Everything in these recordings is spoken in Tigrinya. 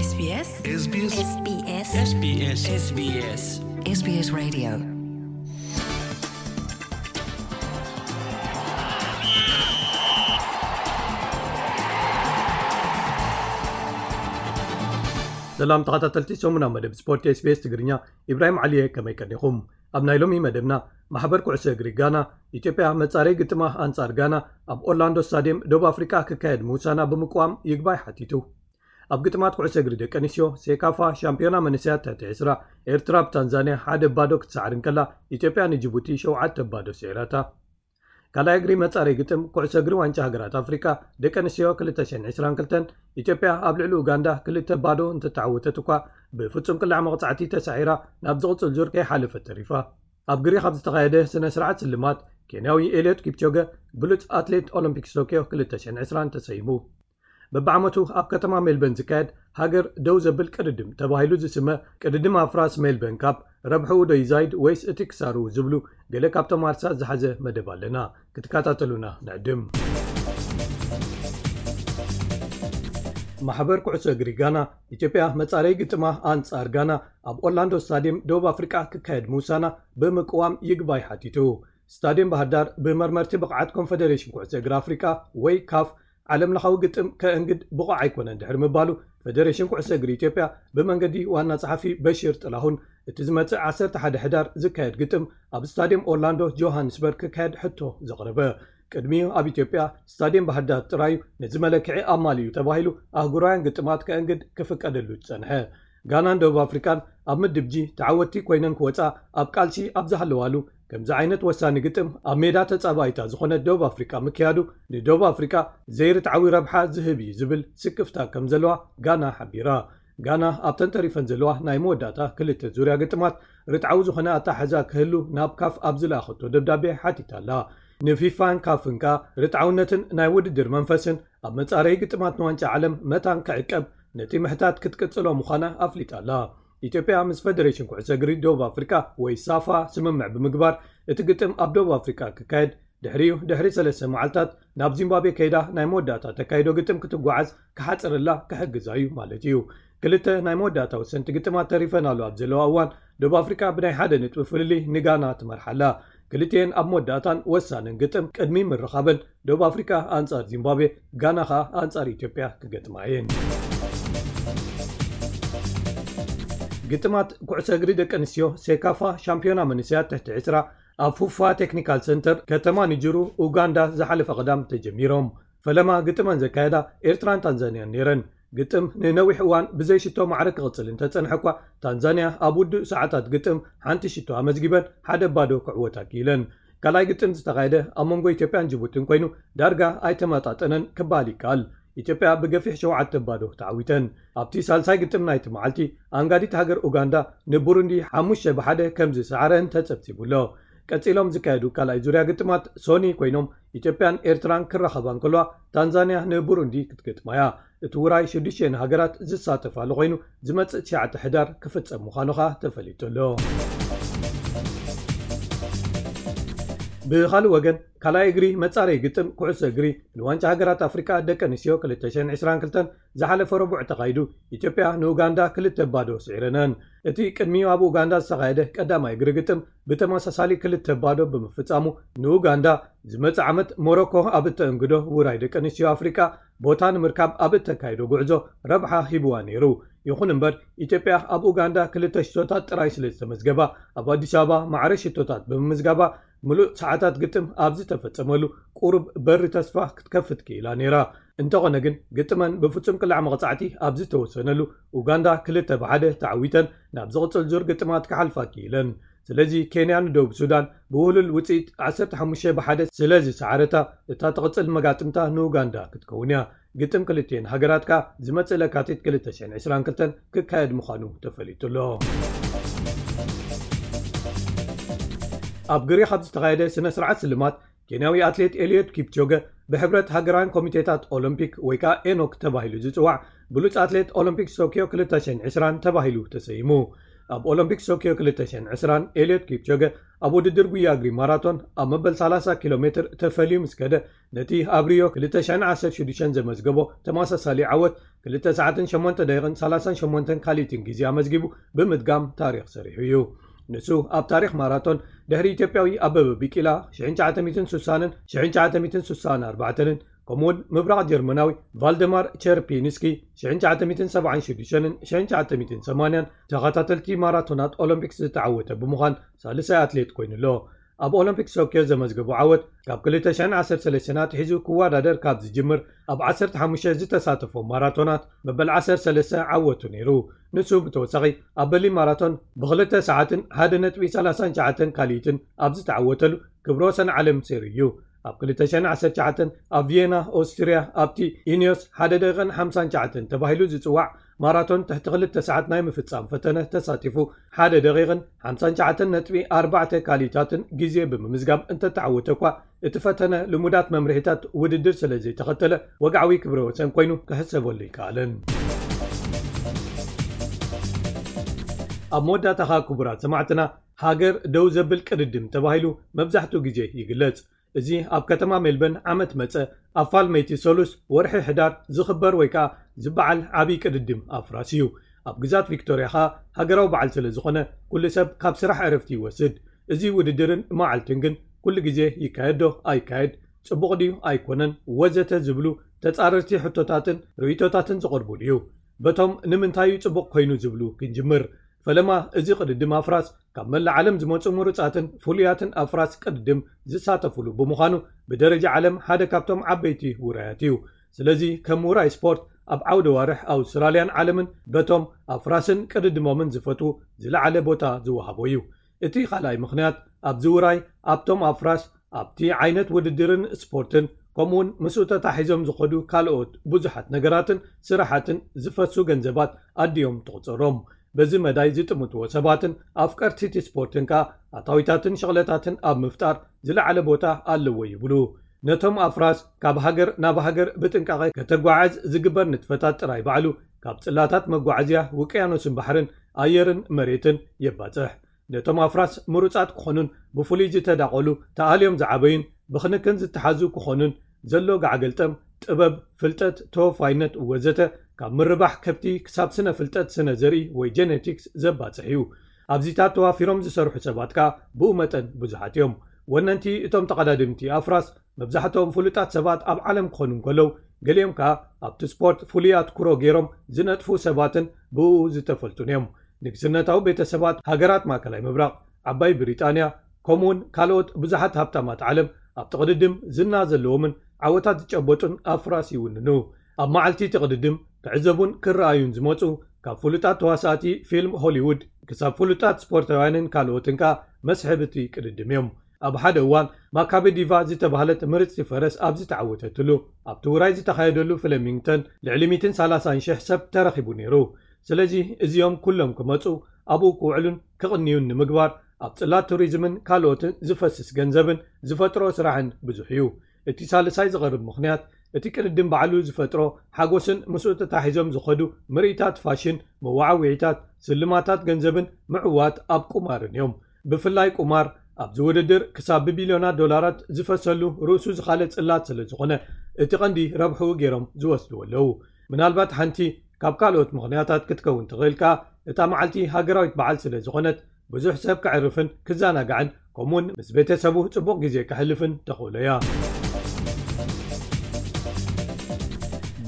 SBS SBS SBS SBS SBS SBS Radio. ሰላም ተኸታተልቲ ሰሙና መደብ ስፖርት SBS ትግርኛ፣ ኢብራሂም ዓሊየ፣ ከመይ ቀኒኹም? ኣብ ናይ ሎሚ መደብና፣ ማሕበር ኩዕሶ እግሪ ጋና፣ ኢትዮጵያ መጻረይ ግጥማ ኣንጻር ጋና ኣብ ኦርላንዶ ስታድየም ደቡብ ኣፍሪቃ ክካየድ ምውሳና ብምቅዋም ይግባይ ሓቲቱ። ኣብ ግጥማት ኩዕሶ እግሪ ደቂ ኣንስትዮ ሴካፋ ሻምፒዮና መንእሰያት ትሕቲ ዕስራ፣ ኤርትራ ብታንዛንያ ሓደ ባዶ ክትሰዓር እንከላ፣ ኢትዮጵያ ንጅቡቲ ሸውዓተ ባዶ ስዒራታ። ካልኣይ እግሪ መጻረይ ግጥም ኩዕሶ እግሪ ዋንጫ ሃገራት ኣፍሪቃ ደቂ ኣንስትዮ ክልተ ሽሕን ዕስራን ክልተን፣ ኢትዮጵያ ኣብ ልዕሊ ኡጋንዳ ክልተ ባዶ እንተተዓወተት እኳ፣ ብፍጹም ቅላዕ መቕጻዕቲ ተሳዒራ ናብ ዝቕጽል ዙር ከይሓለፈት ተሪፋ። ኣብ ግሪኽ ኣብ ዝተኻየደ ስነ ስርዓት ስልማት፣ ኬንያዊ ኤልዮት ኪፕቾገ ብሉጽ ኣትሌት ኦሎምፒክስ ቶኪዮ ክልተ ሽሕን ዕስራን ተሰይሙ። በብዓመቱ ኣብ ከተማ ሜልበርን ዝካየድ ሃገር ደው ዘብል ቅድድም ተባሂሉ ዝስመ ቅድድም ኣፍራስ ሜልበርን ካፕ፣ ረብሕኡ ዶ ይዛይድ ወይስ እቲ ክሳርኡ ዝብሉ ገለ ካብቶም ኣርሳት ዝሓዘ መደብ ኣለና። ክትከታተሉና ንዕድም። ማሕበር ኩዕሶ እግሪ ጋና፣ ኢትዮጵያ መጻረይ ግጥማ ኣንጻር ጋና ኣብ ኦርላንዶ ስታድየም ደቡብ ኣፍሪቃ ክካየድ ምውሳና ብምቅዋም ይግባይ ሓቲቱ። ስታድየም ባህር ዳር ብመርመርቲ ብቕዓት ኮንፈደሬሽን ኩዕሶ እግሪ ኣፍሪቃ ወይ ካፍ ዓለም ለኻዊ ግጥም ከእንግድ ብቑዕ ኣይኮነን ድሕሪ ምባሉ፣ ፈደሬሽን ኩዕሶ እግሪ ኢትዮጵያ ብመንገዲ ዋና ጸሓፊ በሽር ጥላሁን፣ እቲ ዝመጽእ ዓሰርተ ሓደ ሕዳር ዝካየድ ግጥም ኣብ ስታድየም ኦርላንዶ ጆሃንስበርግ ክካየድ ሕቶ ዘቕረበ። ቅድሚኡ ኣብ ኢትዮጵያ ስታድየም ባህር ዳር ጥራዩ ነዚ መለክዒ ኣማሊኡ ተባሂሉ ኣህጉራውያን ግጥማት ከእንግድ ክፍቀደሉ ዝጸንሐ። ጋናን ደቡብ ኣፍሪቃን ኣብ ምድብ ጂ ተዓወትቲ ኮይነን ክወጻ ኣብ ቃልሲ ኣብ ዝሃለዋሉ፣ ከምዚ ዓይነት ወሳኒ ግጥም ኣብ ሜዳ ተጻባኢታ ዝኾነት ደቡብ ኣፍሪቃ ምክያዱ ንደቡብ ኣፍሪቃ ዘይርትዓዊ ረብሓ ዝህብ እዩ ዝብል ስክፍታ ከም ዘለዋ ጋና ሓቢራ። ጋና ኣብተን ተሪፈን ዘለዋ ናይ መወዳእታ ክልተ ዙርያ ግጥማት ርትዓዊ ዝኾነ ኣተሓሕዛ ክህሉ ናብ ካፍ ኣብ ዝለኣኸቶ ደብዳቤ ሓቲታ ኣላ። ንፊፋን ካፍን ከኣ ርትዓውነትን ናይ ውድድር መንፈስን ኣብ መጻረዪ ግጥማት ንዋንጫ ዓለም መታን ክዕቀብ ነቲ ምሕታት ክትቅጽሎ ምዃና ኣፍሊጣ ኣላ። ኢትዮጵያ ምስ ፈደሬሽን ኩዕሶ እግሪ ደቡብ ኣፍሪቃ ወይ ሳፋ ስምምዕ ብምግባር፣ እቲ ግጥም ኣብ ደቡብ ኣፍሪቃ ክካየድ፣ ድሕሪኡ ድሕሪ ሰለስተ መዓልታት ናብ ዚምባብዌ ከይዳ ናይ መወዳእታ ተካይዶ ግጥም ክትጓዓዝ ክሓጽረላ ክሕግዛ እዩ ማለት እዩ። ክልተ ናይ መወዳእታ ወሰንቲ ግጥማት ተሪፈናሉ ኣብ ዘለዋ እዋን፣ ደቡብ ኣፍሪቃ ብናይ ሓደ ነጥቢ ፍልልይ ንጋና ትመርሓላ። ክልቲኤን ኣብ መወዳእታን ወሳንን ግጥም ቅድሚ ምርኻበን፣ ደቡብ ኣፍሪቃ ኣንጻር ዚምባብዌ፣ ጋና ኸኣ ኣንጻር ኢትዮጵያ ክገጥማ እየን። ግጥማት ኩዕሶ እግሪ ደቂ ኣንስትዮ ሴካፋ ሻምፒዮና መንእሰያት ትሕቲ ዕስራ ኣብ ፉፋ ቴክኒካል ሰንተር ከተማ ንጅሩ ኡጋንዳ ዝሓለፈ ቀዳም ተጀሚሮም። ፈለማ ግጥመን ዘካየዳ ኤርትራን ታንዛንያን ነይረን። ግጥም ንነዊሕ እዋን ብዘይ ሽቶ ማዕረ ክቕጽል እንተጸንሐ እኳ፣ ታንዛንያ ኣብ ውዱእ ሰዓታት ግጥም ሓንቲ ሽቶ ኣመዝጊበን ሓደ ባዶ ክዕወታ ክኢለን። ካልኣይ ግጥም ዝተኻየደ ኣብ መንጎ ኢትዮጵያን ጅቡትን ኮይኑ፣ ዳርጋ ኣይተመጣጠነን ክበሃል ይከኣል። ኢትዮጵያ ብገፊሕ ሸውዓተ ባዶ ተዓዊተን። ኣብቲ ሳልሳይ ግጥም ናይቲ መዓልቲ፣ ኣንጋዲት ሃገር ኡጋንዳ ንቡሩንዲ ሓሙሽተ ብሓደ ከም ዝሰዓረን ተጸብጺቡ ኣሎ። ቀጺሎም ዝካየዱ ካልኣይ ዙርያ ግጥማት ሶኒ ኮይኖም፣ ኢትዮጵያን ኤርትራን ክራኸባ እንከለዋ፣ ታንዛንያ ንቡሩንዲ ክትገጥማ እያ። እቲ ውራይ ሽዱሽተ ሃገራት ዝሳተፋሉ ኮይኑ፣ ዝመጽእ ትሽዓተ ሕዳር ክፍጸም ምዃኑ ኸኣ ተፈሊጡ ኣሎ። ብኻልእ ወገን፣ ካልኣይ እግሪ መጻረይ ግጥም ኩዕሶ እግሪ ንዋንጫ ሃገራት ኣፍሪቃ ደቂ ኣንስትዮ ክልተ ሽሕን ዕስራን ክልተን ዝሓለፈ ረቡዕ ተኻይዱ፣ ኢትዮጵያ ንኡጋንዳ ክልተ ባዶ ስዒረነን። እቲ ቅድሚኡ ኣብ ኡጋንዳ ዝተኻየደ ቀዳማይ እግሪ ግጥም ብተመሳሳሊ ክልተ ባዶ ብምፍጻሙ፣ ንኡጋንዳ ዝመጽእ ዓመት ሞሮኮ ኣብ እተእንግዶ ውራይ ደቂ ኣንስትዮ ኣፍሪቃ ቦታ ንምርካብ ኣብ እተካይዶ ጉዕዞ ረብሓ ሂብዋ ነይሩ። ይኹን እምበር፣ ኢትዮጵያ ኣብ ኡጋንዳ ክልተ ሽቶታት ጥራይ ስለ ዝተመዝገባ፣ ኣብ ኣዲስ ኣበባ ማዕረ ሽቶታት ብምምዝጋባ፣ ምሉእ ሰዓታት ግጥም ኣብ ዝተፈጸመሉ ቁሩብ በሪ ተስፋ ክትከፍት ክኢላ ነይራ። እንተኾነ ግን፣ ግጥመን ብፍጹም ቅላዕ መቕጻዕቲ ኣብ ዝተወሰነሉ፣ ኡጋንዳ ክልተ ብሓደ ተዓዊተን ናብ ዝቕጽል ዙር ግጥማት ክሓልፋ ክኢለን። ስለዚ፣ ኬንያ ንደቡብ ሱዳን ብውህሉል ውጽኢት ዓሰርተ ሓሙሽተ ብሓደ ስለ ዝሰዓረታ፣ እታ ትቕጽል መጋጥምታ ንኡጋንዳ ክትከውን እያ። ግጥም ክልቲኤን ሃገራት ከኣ ዝመጽእ ለካቲት ክልተ ሽሕን ዕስራን ክልተን ክካየድ ምዃኑ ተፈሊጡ ኣሎ። ኣብ ግሪኽ ኣብ ዝተኻየደ ስነ ስርዓት ስልማት፣ ኬንያዊ ኣትሌት ኤልዮት ኪፕቾገ ብሕብረት ሃገራውያን ኮሚቴታት ኦሎምፒክ ወይ ከኣ ኤኖክ ተባሂሉ ዝጽዋዕ ብሉጽ ኣትሌት ኦሎምፒክስ ቶኪዮ ክልተ ሽሕን ዕስራን ተባሂሉ ተሰይሙ። ኣብ ኦሎምፒክስ ቶኪዮ ክልተ ሽሕን ዕስራን ኤልዮት ኪፕቾገ ኣብ ውድድር ጉያ እግሪ ማራቶን ኣብ መበል ሰላሳ ኪሎ ሜትር ተፈልዩ ምስ ከደ፣ ነቲ ኣብ ሪዮ ክልተ ሽሕን ዓሰርተ ሽዱሽተን ዘመዝገቦ ተመሳሳሊ ዓወት ክልተ ሰዓትን ሸሞንተ ደቂቕን ሰላሳን ሸሞንተን ካልኢትን ግዜ ኣመዝጊቡ ብምድጋም ታሪኽ ሰሪሑ እዩ። ንሱ ኣብ ታሪኽ ማራቶን ድሕሪ ኢትዮጵያዊ ኣበበ ቢቂላ ሽሕን ትሽዓተ ሚእትን ስሳን ሽሕን ትሽዓተ ሚእትን ስሳን ኣርባዕተን ከምኡውን ምብራቕ ጀርመናዊ ቫልደማር ቸርፒንስኪ ሽሕን ትሽዓተ ሚእትን ሰብዓን ሽዱሽተን ሽሕን ትሽዓተ ሚእትን ሰማንያን ተኸታተልቲ ማራቶናት ኦሎምፒክስ ዝተዓወተ ብምዃን ሳልሳይ ኣትሌት ኮይኑ ኣሎ። ኣብ ኦሎምፒክስ ቶክዮ ዘመዝገቦ ዓወት ካብ ክልተ ሽሕን ዓሰርተ ሰለስተን ኣትሒዙ ክወዳደር ካብ ዝጅምር ኣብ ዓሰርተ ሓሙሽተ ዝተሳተፎ ማራቶናት መበል ዓሰርተ ሰለስተ ዓወቱ ነይሩ። ንሱ ብተወሳኺ ኣብ በርሊን ማራቶን ብክልተ ሰዓትን ሓደ ነጥቢ ሰላሳን ትሽዓተን ካልኢትን ኣብ ዝተዓወተሉ ክብረ ወሰን ዓለም ሰይሩ እዩ። ኣብ ክልተ ሽሕን ዓሰርተ ትሽዓተን ኣብ ቪየና ኦስትርያ ኣብቲ ኢኒዮስ ሓደ ደቂቕን ሓምሳን ትሽዓተን ተባሂሉ ዝጽዋዕ ማራቶን ትሕቲ ክልተ ሰዓት ናይ ምፍጻም ፈተነ ተሳቲፉ ሓደ ደቂቕን ሓምሳን ትሽዓተን ነጥቢ ኣርባዕተ ካልኢታትን ግዜ ብምምዝጋብ እንተተዓወተ እኳ እቲ ፈተነ ልሙዳት መምርሒታት ውድድር ስለ ዘይተኸተለ ወግዓዊ ክብረ ወሰን ኮይኑ ክሕሰበሉ ይከኣልን። ኣብ መወዳእታኻ ክቡራት ሰማዕትና ሃገር ደው ዘብል ቅድድም ተባሂሉ መብዛሕትኡ ግዜ ይግለጽ። እዚ ኣብ ከተማ ሜልበርን ዓመት መጸ ኣብ ፋልመይቲ ሰሉስ ወርሒ ሕዳር ዝኽበር ወይ ከኣ ዝበዓል ዓብዪ ቅድድም ኣፍራስ እዩ። ኣብ ግዛት ቪክቶርያ ከኣ ሃገራዊ በዓል ስለ ዝኾነ ኩሉ ሰብ ካብ ስራሕ ዕረፍቲ ይወስድ። እዚ ውድድርን መዓልትን ግን ኩሉ ግዜ ይካየድ ዶ ኣይካየድ፣ ጽቡቕ ድዩ ኣይኮነን ወዘተ ዝብሉ ተጻረርቲ ሕቶታትን ርእይቶታትን ዝቐርቡሉ እዩ። በቶም ንምንታይ እዩ ጽቡቕ ኮይኑ ዝብሉ ክንጅምር። ፈለማ እዚ ቅድድም ኣፍራስ ካብ መላእ ዓለም ዝመጹ ምሩጻትን ፍሉያትን ኣፍራስ ቅድድም ዝሳተፉሉ ብምዃኑ ብደረጃ ዓለም ሓደ ካብቶም ዓበይቲ ውራያት እዩ። ስለዚ ከም ውራይ ስፖርት ኣብ ዓውደ ዋርሕ ኣውስትራልያን ዓለምን በቶም ኣፍራስን ቅድድሞምን ዝፈትዉ ዝለዓለ ቦታ ዝወሃቦ እዩ። እቲ ካልኣይ ምኽንያት ኣብዚ ውራይ ኣብቶም ኣፍራስ ኣብቲ ዓይነት ውድድርን ስፖርትን ከምኡውን ምስኡ ተታሒዞም ዝኸዱ ካልኦት ብዙሓት ነገራትን ስራሓትን ዝፈሱ ገንዘባት ኣድዮም ትቑጸሮም። በዚ መዳይ ዝጥምትዎ ሰባትን ኣፍቀርቲ እቲ ስፖርትን ከኣ ኣታዊታትን ሸቕለታትን ኣብ ምፍጣር ዝለዓለ ቦታ ኣለዎ ይብሉ። ነቶም ኣፍራስ ካብ ሃገር ናብ ሃገር ብጥንቃቐ ከተጓዓዝ ዝግበር ንጥፈታት ጥራይ ባዕሉ ካብ ጽላታት መጓዓዝያ ውቅያኖስን ባሕርን ኣየርን መሬትን የባጽሕ። ነቶም ኣፍራስ ምሩጻት ክኾኑን ብፍሉይ ዝተዳቐሉ ተኣልዮም ዝዓበዩን ብክንክን ዝተሓዙ ክኾኑን ዘሎ ጋዕገልጠም ጥበብ፣ ፍልጠት፣ ተወፋይነት ወዘተ ካብ ምርባሕ ከብቲ ክሳብ ስነ ፍልጠት ስነ ዘርኢ ወይ ጀነቲክስ ዘባጽሕ እዩ። ኣብዚታት ተዋፊሮም ዝሰርሑ ሰባት ከኣ ብኡ መጠን ብዙሓት እዮም። ወነንቲ እቶም ተቐዳድምቲ ኣፍራስ መብዛሕትኦም ፍሉጣት ሰባት ኣብ ዓለም ክኾኑ እንከለዉ ገሊኦም ከኣ ኣብቲ ስፖርት ፍሉይ ኣትኩሮ ገይሮም ዝነጥፉ ሰባትን ብኡ ዝተፈልጡን እዮም። ንግስነታዊ ቤተሰባት ሃገራት ማእከላይ ምብራቕ፣ ዓባይ ብሪጣንያ ከምኡውን ካልኦት ብዙሓት ሃብታማት ዓለም ኣብቲ ቅድድም ዝና ዘለዎምን ዓወታት ዝጨበጡን ኣፍራስ ይውንኑ። ኣብ መዓልቲ እቲ ቅድድም ክዕዘቡን ክረኣዩን ዝመጹ ካብ ፍሉጣት ተዋሳእቲ ፊልም ሆሊውድ ክሳብ ፍሉጣት ስፖርታውያንን ካልኦትን ከኣ መስሕብ እቲ ቅድድም እዮም። ኣብ ሓደ እዋን ማካቤ ዲቫ ዝተባህለት ምርጽቲ ፈረስ ኣብ ዝተዓወተትሉ ኣብቲ ውራይ ዝተኻየደሉ ፍለሚንግተን ልዕሊ ሚእትን ሰላሳን ሽሕ ሰብ ተረኺቡ ነይሩ። ስለዚ እዚኦም ኩሎም ክመጹ ኣብኡ ክውዕሉን ክቕንዩን ንምግባር ኣብ ጽላት ቱሪዝምን ካልኦትን ዝፈስስ ገንዘብን ዝፈጥሮ ስራሕን ብዙሕ እዩ። እቲ ሳልሳይ ዝቐርብ ምኽንያት እቲ ቅድድም ባዕሉ ዝፈጥሮ ሓጎስን ምስኡ ተታሒዞም ዝኸዱ ምርኢታት ፋሽን፣ መዋዓዊዒታት፣ ስልማታት ገንዘብን ምዕዋት ኣብ ቁማርን እዮም። ብፍላይ ቁማር ኣብዚ ውድድር ክሳብ ብቢልዮናት ዶላራት ዝፈሰሉ ርእሱ ዝኻለ ጽላት ስለ ዝኾነ እቲ ቀንዲ ረብሕኡ ገይሮም ዝወስድዎ ኣለዉ። ምናልባት ሓንቲ ካብ ካልኦት ምኽንያታት ክትከውን ትኽእል ከኣ እታ መዓልቲ ሃገራዊት በዓል ስለ ዝኾነት ብዙሕ ሰብ ከዕርፍን ክዘናጋዕን ከምኡውን ምስ ቤተሰቡ ጽቡቕ ግዜ ከሕልፍን ተኽእሎ እያ።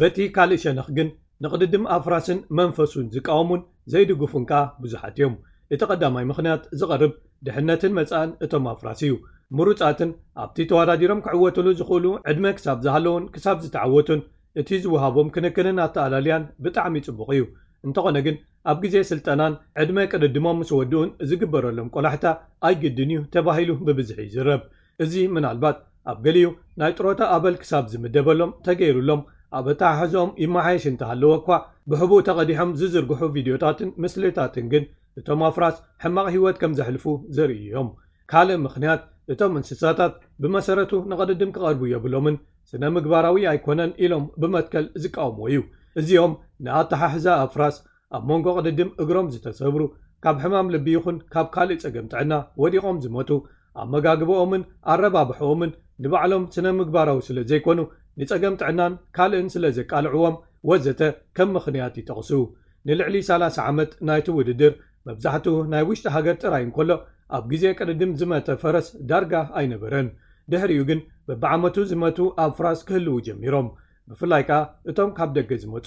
በቲ ካልእ ሸነኽ ግን ንቕድድም ኣፍራስን መንፈሱን ዝቃወሙን ዘይድግፉን ከኣ ብዙሓት እዮም። እቲ ቀዳማይ ምኽንያት ዝቐርብ ድሕነትን መጻእን እቶም ኣፍራስ እዩ። ምሩጻትን ኣብቲ ተወዳዲሮም ክዕወትሉ ዝኽእሉ ዕድመ ክሳብ ዝሃለውን ክሳብ ዝተዓወቱን እቲ ዝወሃቦም ክንክንን ኣተኣላልያን ብጣዕሚ ጽቡቕ እዩ። እንተኾነ ግን ኣብ ግዜ ስልጠናን ዕድመ ቅድድሞም ምስ ወድኡን ዝግበረሎም ቆላሕታ ኣይግድን እዩ ተባሂሉ ብብዝሒ ይዝረብ። እዚ ምናልባት ኣብ ገሊኡ ናይ ጥሮታ ኣበል ክሳብ ዝምደበሎም ተገይሩሎም ኣብ ኣተሓሕዝኦም ይመሓየሽ እንተሃለወ እኳ ብሕቡእ ተቐዲሖም ዝዝርግሑ ቪድዮታትን ምስልታትን ግን እቶም ኣፍራስ ሕማቕ ህይወት ከም ዘሕልፉ ዘርእዩ እዮም። ካልእ ምኽንያት እቶም እንስሳታት ብመሰረቱ ንቕድድም ክቐርቡ የብሎምን ስነ ምግባራዊ ኣይኮነን ኢሎም ብመትከል ዝቃወምዎ እዩ። እዚኦም ንኣተሓሕዛ ኣፍራስ ኣብ መንጎ ቅድድም እግሮም ዝተሰብሩ፣ ካብ ሕማም ልቢ ይኹን ካብ ካልእ ጸገም ጥዕና ወዲቖም ዝሞቱ፣ ኣመጋግባኦምን ኣረባብሕኦምን ንባዕሎም ስነ ምግባራዊ ስለ ዘይኮኑ ንጸገም ጥዕናን ካልእን ስለ ዘቃልዕዎም ወዘተ ከም ምኽንያት ይጠቕሱ። ንልዕሊ ሰላሳ ዓመት ናይቲ ውድድር መብዛሕትኡ ናይ ውሽጢ ሃገር ጥራይ እንከሎ፣ ኣብ ግዜ ቅድድም ዝመተ ፈረስ ዳርጋ ኣይነበረን። ድሕሪኡ ግን በብዓመቱ ዝመቱ ኣፍራስ ክህልዉ ጀሚሮም፣ ብፍላይ ከኣ እቶም ካብ ደገ ዝመጹ።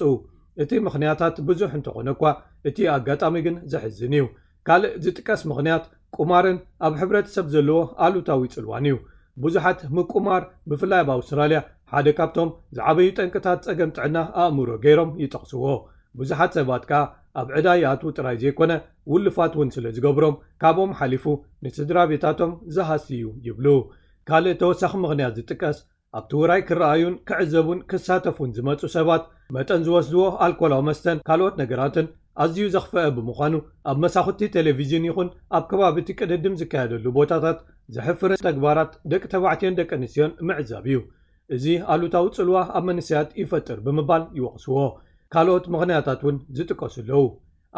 እቲ ምኽንያታት ብዙሕ እንተኾነ እኳ፣ እቲ ኣጋጣሚ ግን ዘሕዝን እዩ። ካልእ ዝጥቀስ ምኽንያት ቁማርን ኣብ ሕብረተሰብ ዘለዎ ኣሉታዊ ጽልዋን እዩ። ብዙሓት ምቁማር፣ ብፍላይ ኣብ ኣውስትራልያ፣ ሓደ ካብቶም ዝዓበዩ ጠንቅታት ጸገም ጥዕና ኣእምሮ ገይሮም ይጠቕስዎ። ብዙሓት ሰባት ከኣ ኣብ ዕዳ ይኣትዉ ጥራይ ዘይኮነ፣ ውልፋት እውን ስለ ዝገብሮም፣ ካብኦም ሓሊፉ ንስድራ ቤታቶም ዝሃሲ እዩ ይብሉ። ካልእ ተወሳኺ ምኽንያት ዝጥቀስ፣ ኣብቲ ውራይ ክረኣዩን ክዕዘቡን ክሳተፉን ዝመጹ ሰባት፣ መጠን ዝወስድዎ ኣልኮላዊ መስተን ካልኦት ነገራትን ኣዝዩ ዘኽፈአ ብምዃኑ፣ ኣብ መሳኹቲ ቴሌቪዥን ይኹን ኣብ ከባቢ እቲ ቅድድም ዝካየደሉ ቦታታት ዘሕፍርን ተግባራት ደቂ ተባዕትዮን ደቂ ኣንስትዮን ምዕዛብ እዩ። እዚ ኣሉታዊ ጽልዋ ኣብ መንእሰያት ይፈጥር ብምባል ይወቕስዎ። ካልኦት ምኽንያታት እውን ዝጥቀሱ ኣለዉ።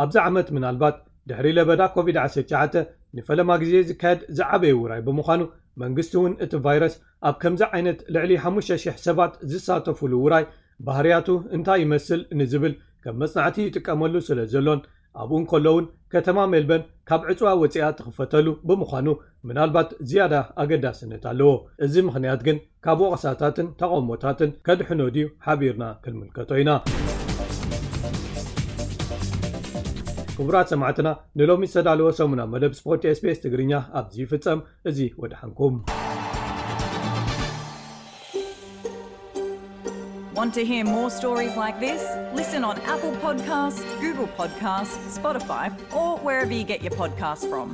ኣብዚ ዓመት ምናልባት ድሕሪ ለበዳ ኮቪድ ዓሰርተ ትሽዓተ ንፈለማ ግዜ ዝካየድ ዝዓበየ ውራይ ብምዃኑ፣ መንግስቲ እውን እቲ ቫይረስ ኣብ ከምዚ ዓይነት ልዕሊ ሓሙሽተ ሽሕ ሰባት ዝሳተፉሉ ውራይ ባህርያቱ እንታይ ይመስል ንዝብል ከም መጽናዕቲ ይጥቀመሉ ስለ ዘሎን፣ ኣብኡ እንከሎ እውን ከተማ ሜልበርን ካብ ዕጽዋ ወጺኣ ትኽፈተሉ ብምዃኑ፣ ምናልባት ዝያዳ ኣገዳስነት ኣለዎ። እዚ ምኽንያት ግን ካብ ወቐሳታትን ተቓውሞታትን ከድሕኖ ድዩ? ሓቢርና ክንምልከቶ ኢና። ክቡራት ሰማዕትና፣ ንሎሚ ዝተዳለወ ሰሙና መደብ ስፖርት ኤስቢኤስ ትግርኛ ኣብዚ ይፍጸም። እዚ ወድሓንኩም። Want to hear more stories like this? Listen on Apple Podcasts, Google Podcasts, Spotify, or wherever you get your podcasts from.